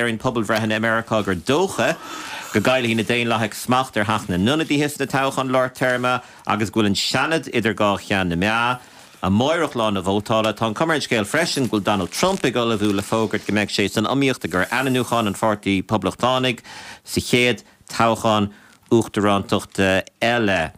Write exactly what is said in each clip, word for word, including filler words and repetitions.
Léiríonn pobalbhreitheanna i Meiriceá gur dócha go gcaillfidh na Daonlathaigh smacht ar Theach na nIonadaithe sna toghcháin lár téarma agus go bhfuil an Seanad idir dhá cheann na meá. Amárach lá na vótála. Tá an chuma ar an scéal freisin go bhfuil Donald Trump ag ullmhú le fógairt go mbeidh sé san iomaíocht i gcomhair ainmniúchán an Pháirtí Poblachtánaigh sa chéad toghchán uachtarántachta eile.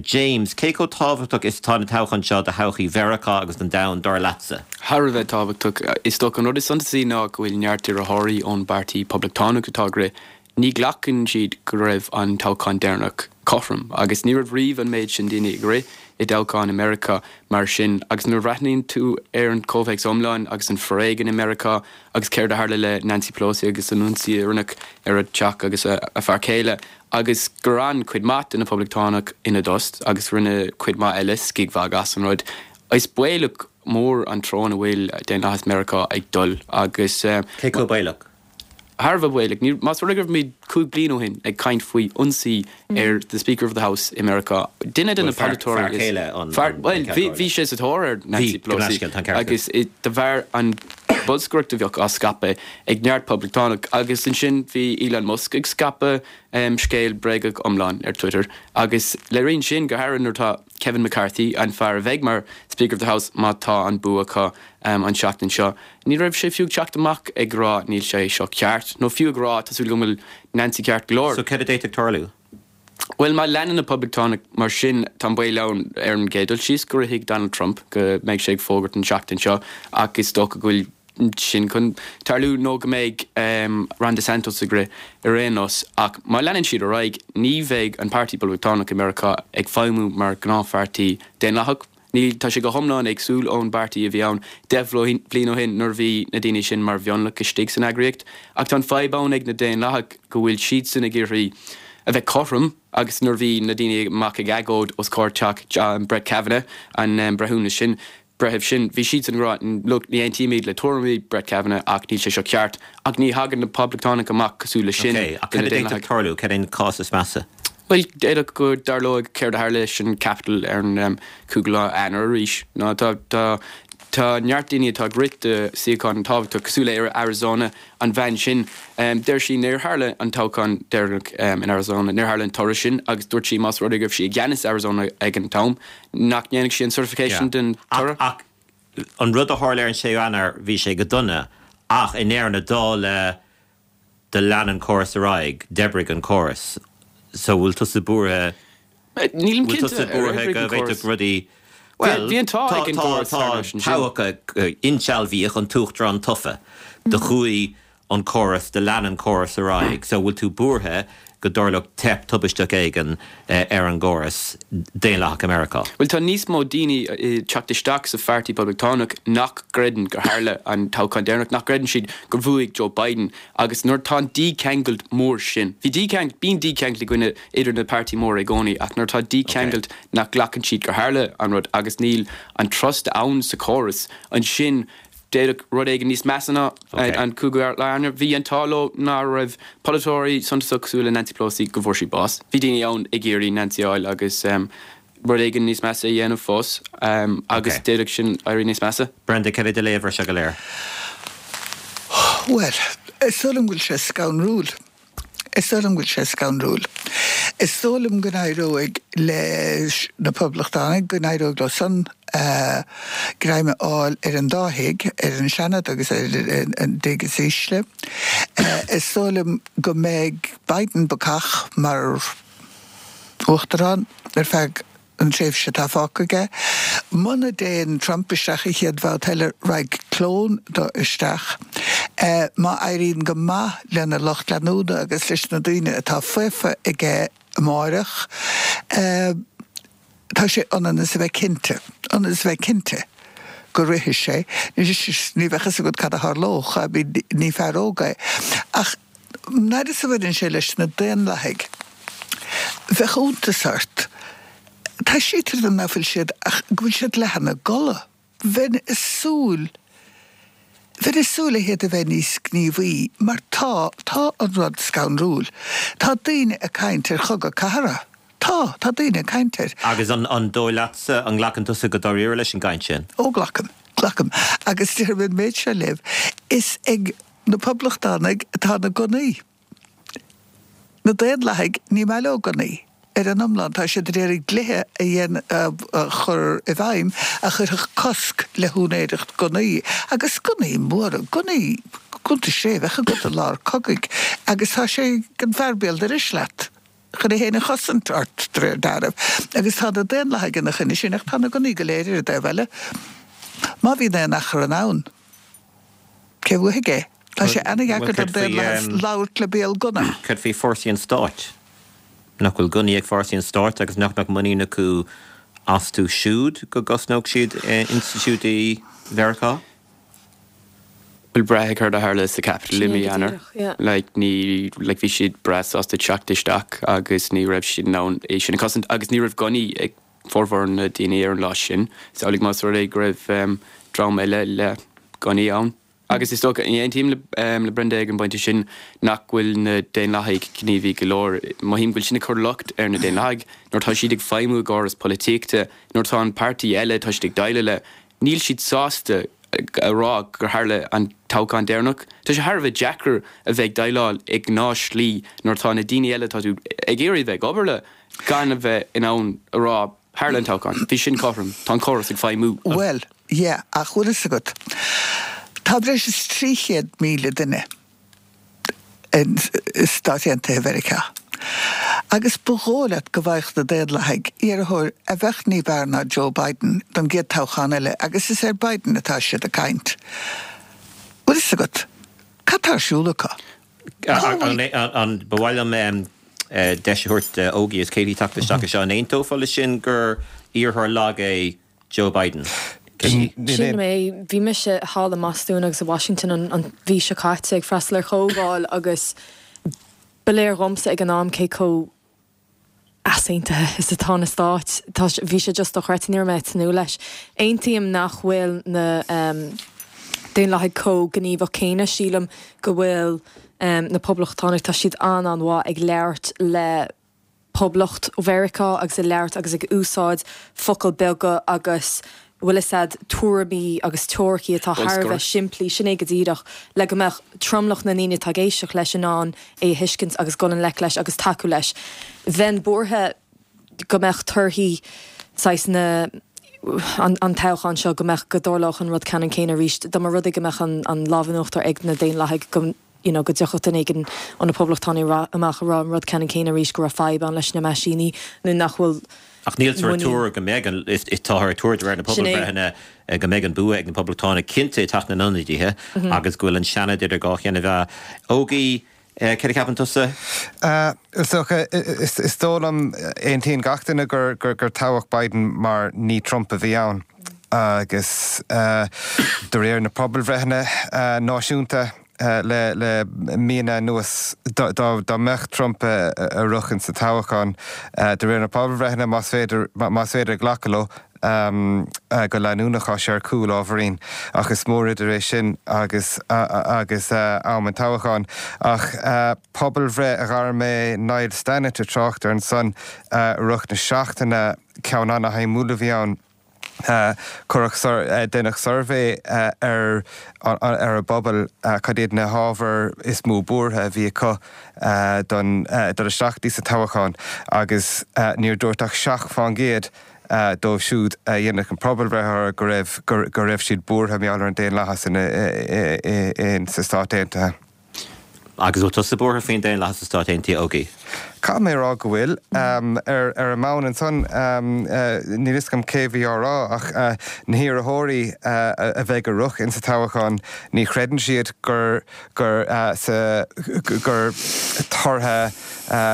James, cé chomh tábhachtach is atá na toghcháin seo do thodhchaí Mheiriceá agus don domhan, dar leatsa? Thar a bheith tábhachtach. Is dócha an rud is suntasaí ná go bhfuil neart iarrthóirí ón bPáirtí Poblachtánach atá ag rith. Ní ghlacann siad go raibh an toghchán deireanach cothrom agus ní raibh riamh an méid sin daoine ag rith i dtoghchán i Meiriceá mar sin. Agus nuair a bhreathnaíonn tú ar an chomhthéacs iomlán agus an foréigean i Meiriceá agus céard a tharla le Nancy Pelosi agus an ionsaí a rinneadh ar a teach agus a fear céile agus gur fhan cuid mhaith de na Poblachtánaigh ina dtost agus rinne cuid mhaith eile scigmhagadh as an rud, is baolach mór an treo ina bhfuil daonlathas Meiriceá ag dul agus. Cé chomh baolach? Thar a bheith baolach. Ní, más rud é go raibh muid cúig bliana ó shin ag caint faoi ionsaí ar the Speaker of the House i Meiriceá, duine de na polaiteoirí is, fear, bhuel, bhí, bhí sé sa tóir ar Nancy Pelosi agus de bharr an bholscaireacht a bheadh á scaipeadh ag neart poblachtánach agus ansin bhí Elon Musk ag scaipeadh scéal bréagach iomlán ar Twitter agus léiríonn sin go háirithe nuair atá Kevin McCarthy, an fear a bheidh mar Speaker of the House má tá an bua acu an tseachtain seo. Ní raibh sé fiú ag teacht amach ag rá níl sé seo ceart, nó fiú ag rá tá súil agam go bhfuil Nancy ceart go leor. So céard a d'fhéadfadh tarlú? Bhuel, má leanann na Poblachtánaigh mar sin, tá an baol ann ar an gcéad dul síos go rithfidh Donald Trump, go mbeidh sé ag fógairt an tseachtain seo ach is dócha go bhfuil sin chun tarlú nó go mbeidh Ron DeSantis ag rith ar aon nós. Ach má leanann siad ar aghaidh, ní bheidh an Páirtí Poblachtánach i Meiriceá ag feidhmiú mar ghnáthpháirtí daonlathach. Níl, tá sé go hiomlán éagsúil ón bpáirtí a bhí ann deich bhliain ó shin nuair a bhí na daoine sin mar mhionlach istigh san eagraíocht. Ach tá an fadhb ann ag na Daonlathaigh go bhfuil siadsan ag iarraidh a bheith cothrom agus nuair a bhí na daoine amach ag agóid os comhair teach Brett Kavanaugh, an breithiúnas sin, breitheamh sin, bhí siadsan ag rá, look, ní aontaímid le tuairimí Brett Kavanaugh ach níl sé seo ceart. Ach ní thagann na Poblachtánaigh amach cosúil leis sin Ok, ach cad a d'fhéadfadh tarlú? Cad é an cás is measa? Bhuel, d'fhéadfadh go dtarlóidh céard a tharla leis an Capitol ar an cúigiú lá Eanáir arís. Nó tá, tá, tá neart daoine atá ag rith do suíochán tábhachtach cosúil le Arizona, an bhean sin, deir sí níor tharla an toghchán deireanach in Arizona, níor tharla an toradh sin agus dúirt sí más rud é go raibh sí i gceannas Arizona ag an t-am, nach ndéanfadh sí an certification den toradh. Ach, ach an rud a tharla ar an séú Eanáir, bhí sé go dona, ach i ndeireadh na dála do lean an córas ar aghaidh, d'oibrigh an córas. So bhfuil tusa buartha, Nílim bhfuil cinnte tusa ar buartha oibrigh go an córas. bhféadfadh rudaí, bhuel, Bhí an t-ádh tá, ag an tá, gcóras tá thar n-ais ansin. toghadh, insealbhaíodh an t-uachtarán tofa, do chuaigh an córas, do lean an córas ar aghaidh. So bhfuil tú buartha go dtarlódh teip tubaisteach éigin ar an gcóras daonlathach i Meiriceá? Bhuel, tá níos mó daoine ag teacht isteach sa Pháirtí Poblachtánach nach gcreideann gur tharla an toghchán deireanach, nach gcreideann siad gur bhuaigh Joe Biden. Agus nuair atá an dícheangailt mór sin, bhí dícheangailt, bíonn dícheangailt i gcoinne idir na páirtí móra i gcónaí, ach nuair atá dícheangailt nach nglacann siad gur tharla an rud agus níl an trust ann sa chóras, ansin D'fhéadfadh rud éigin níos measa ná an cúigiú lá Eanáir. Bhí an t-ádh leo ná raibh polaiteoirí suntasach cosúil le Nancy Pelosi go bhfuair sí bás. Bhí daoine ann ag iarraidh Nancy a fháil agus rud éigin níos measa a dhéanamh fós agus d'fhéadfadh sin éirí níos measa. Brenda, cad é do léamh ar seo go léir? Bhuel, is dóigh liom go bhfuil sé scanrúil. Is dóigh liom go bhfuil sé scanrúil. Is dóigh liom go n-éireoidh leis na Poblachtánaigh, go n-éireoidh leo san greim a fháil ar an dá thigh, ar an Seanad agus ar an dtigh is ísle. Is dóigh liom go mbeidh Biden bacach mar Uachtarán ar feadh an tréimhse atá fágtha aige. Muna dtéann Trump isteach an chéad bhabhta eile, raghaidh clón dó isteach. Má éiríonn go maith lena lucht leanúna agus leis na daoine atá faofa aige amáireach, tá sé ionann is a bheith cinnte, ionann is a bheith cinnte go rithfidh sé. Ní bheadh fhios agat cad a tharlódh, I mean ní fear óg é. Ach an fhad is a bhaineann sé leis na Daonlathaigh, bheadh iontas ort. Taibhsítear dom nach bhfuil siad ach go bhfuil siad leath ina gcodladh. Bheinn ag súil, bheinn ag súil le hiad a bheith níos gníomhaí mar tá, tá an rud scanrúil. Tá daoine ag caint ar chogadh cathartha. Tá, tá daoine ag caint air. Agus an, an dóigh leatsa, an nglacann tusa go dáiríre leis an gcaint sin? Ó glacaim, glacaim. Agus déarfaidh mé an méid seo libh, is ag. Na Poblachtánaigh atá na gunnaí. Na Daonlathaigh, ní maith leo gunnaí. Ar an iomlán, tá siad ag iarraidh dlíthe a a chur i bhfeidhm a chuirfeadh cosc le húinéireacht gunnaí, agus gunnaí móra, gunnaí, gunna sé, bheadh agat i lár cogaidh, agus tá sé ag an bhfear béal dorais leat chun é féin a chosaint ort, de réir dealraimh. Agus tá na Daonlathaigh ina choinne sin, ach tá na gunnaí go léir ar an dtaobh eile. Má bhíonn aon achrann ann, cé bhuafaidh é? Tá sé ana-dheacair don daonlathas labhairt le béal gunna. Céard faoi fórsaí an stáit? Nach bhfuil gunnaí ag fórsaí an stáit agus nach mbeadh muinín acu astu siúd go gcosnódh siad institiúidí Mheiriceá? Bhuel, braithfidh céard a tharla sa Capitol i mí Eanáir. Like, ní, like, bhí siad breá sásta teacht isteach agus ní raibh siad in ann é sin a chosaint agus ní raibh gunnaí ag formhór na daoine ar an lá sin. Is amhlaidh más rud é go raibh dream eile le gunnaí ann. Agus is dócha, aontaím le Brenda ag an bpointe sin, nach bhfuil na Daonlathaigh gníomhaí go leor. Mothaím go bhfuil sin ag cur locht ar na Daonlathaigh nuair atá siad ag feidhmiú i gcóras polaitíochta, nuair atá an páirtí eile atá siad ag déileáil le, níl siad sásta a rá gur tharla an toghchán deireanach. Tá sé thar a bheith deacair a bheith ag déileáil i ngnáthshlí nuair atá na daoine eile atá tú ag iarraidh a bheith ag obair le gan a bheith in ann a rá tharla an toghchán, bhí sin cothrom, tá an córas ag feidhmiú. Bhuel, yeah, ach bhfuil fhios agat, tá breis is trí chéad míle duine i Stáit Aontaithe Mheiriceá agus ba dhóigh leat go bhfaigheadh na Daonlathaigh iarrthóir a bheadh ní b'fhearr ná Joe Biden don gcéad toghchán eile agus is ar Biden atá siad ag caint. Bhfuil fhios agat, cad tá ar siúl acu? An ba mhaith liom deis a thabhairt d'Ógie is Katie teacht isteach anseo. An aontófá leis sin gur iarrthóir lag é Joe Biden? Sílim é. Bhí mise thall i mBostún agus i Washington an mhí seo caite ag freastal ar chomhdháil agus ba léir dhomsa ag an am cé chomh easaontaithe is atá na Stáit. Tá, bhí sé just dochreidte, ní raibh mé ag tnúth leis. Aontaím nach bhfuil na Daonlathaigh chomh gníomhach céanna. Sílim go bhfuil na Poblachtánaigh, tá siad an-an-mhaith ag labhairt le Poblacht Mheiriceá agus ag labhairt agus ag úsáid focail beaga agus bhfuil fhios a'd, tuairimí agus teoiricí atá thar a bheith simplí, sin é go díreach, le go mbeadh tromlach na ndaoine atá ag éisteacht leis in ann é a thuiscint agus dul i ngleic leis agus tacú leis. Bheinn buartha go mbeadh torthaí saghas na an an toghchán seo, go mbeadh, go dtarlódh an rud ceannann céanna arís, dá mba rud é go mbeadh an an lámh in uachtar ag na Daonlathaigh, go you know go dtiocfadh duine éigin ó na Poblachtánaigh amach a rá an rud ceannann céanna arís, go raibh fadhb ann leis na meaisíní nó nach bhfuil Ach níltear ag tuar go mbeidh an, is táthar ag tuar de réir na pobalbhreitheanna go mbeidh an bua ag na Poblachtánaigh cinnte i dTeach na nIonadaithe agus go bhfuil an Seanad idir dhá cheann na mheá. Ógie, céard a cheapann tusa? Is dócha, is dóigh liom, aontaíonn gach duine gur gur toghadh Biden mar ní Trump a bhí ann agus de réir na pobalbhreitheanna náisiúnta, le le míonna anuas. Dá mbeadh Trump ag rith insa toghchán, de réir na pobalbhreitheanna, más féidir más féidir glacadh leo go leanúnach, tá sé ar cúl ábhairín. Ach is mór idir é sin agus agus am an toghcháin. Ach pobalbhreith a ghair mé Niall Stannett ag trácht air ansan i rith na seachtaine, ceann ana-shuimiúil a bhí ann. Cuireadh, deineadh suirbhé ar ar an bpobal cad iad na hábhair is mó buartha a bhí acu don dul isteach dtí sa toghchán agus níor dúirt ach seacht fán gcéad dóibh siúd a deineadh an pobalbhreith orthu go raibh go raibh siad buartha mar gheall ar an daonlathas in sa Stát Aontaithe. Agus bhfuil tusa buartha faoin daonlathas sna Stáit Aontaithe, Ógie? Caithfidh mé a rá go bhfuil. Ar ar an mbonn ansan, níl fhios agam cé bhí á rá ach na hiarrthóirí a bheidh ag rith insa toghchán, ní chreideann siad gur gur sa gur tortha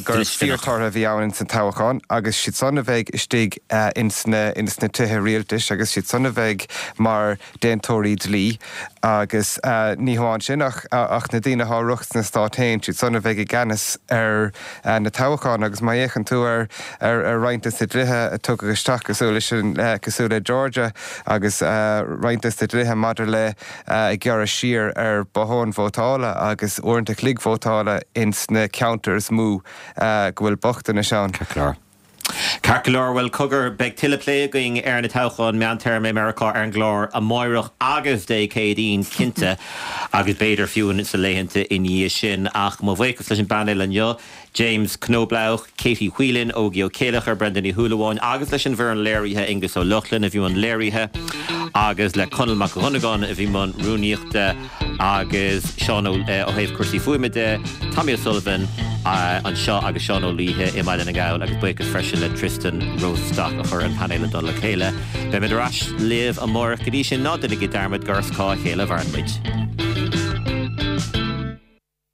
gur fíorthortha a bhí ann insan toghchán agus siad san a bheidh istigh ins na ins na tithe rialtais agus siad san a bheidh mar déantóirí dlí agus ní hamháin sin ach ach na daoine atá ag rith sna Stáit féin, siad san a bheidh i gceannas ar na toghcháin agus má fhéachann tú ar ar roinnt des na dlíthe a tugadh isteach cosúil leis an cosúil le Georgia agus roinnt des na dlíthe maidir le ag gearradh siar ar bhotháin vótála agus uaireanta chloig vótála ins na ceantair is mó go bhfuil bochtanais ann. Ceart go leor. Ceart go leor bhuel cogar beidh tuilleadh plé againn ar na toghcháin meántéarma i Meiriceá ar an gclár amárach agus Dé Céadaoin cinnte agus b'fhéidir fiú sna laethanta i ndiaidh sin ach mo bhuíochas leis an bpainéal inniu James Knoblauch, Katie Whelan, Ógie Ó Céileachair, Brendan Ní Shúilleabháin agus leis an bhfoireann léirithe Aengus Ó Lochlainn a bhí i mbun léirithe agus le Conall Mac Dhonnagáin a bhí i mbun rúnaíochta agus Seán ó thaobh cúrsaí fuaime de, Tommy O'Sullivan anseo agus Seán Ó Laoithe i mBaile na nGall agus buíochas freisin le Tristan Rosenstock a chuir an painéal i dtoll a chéile. Beimid ar ais libh amárach go dtí sin ná déanaigí dearmad gur as cá chéile a mhaireann muid.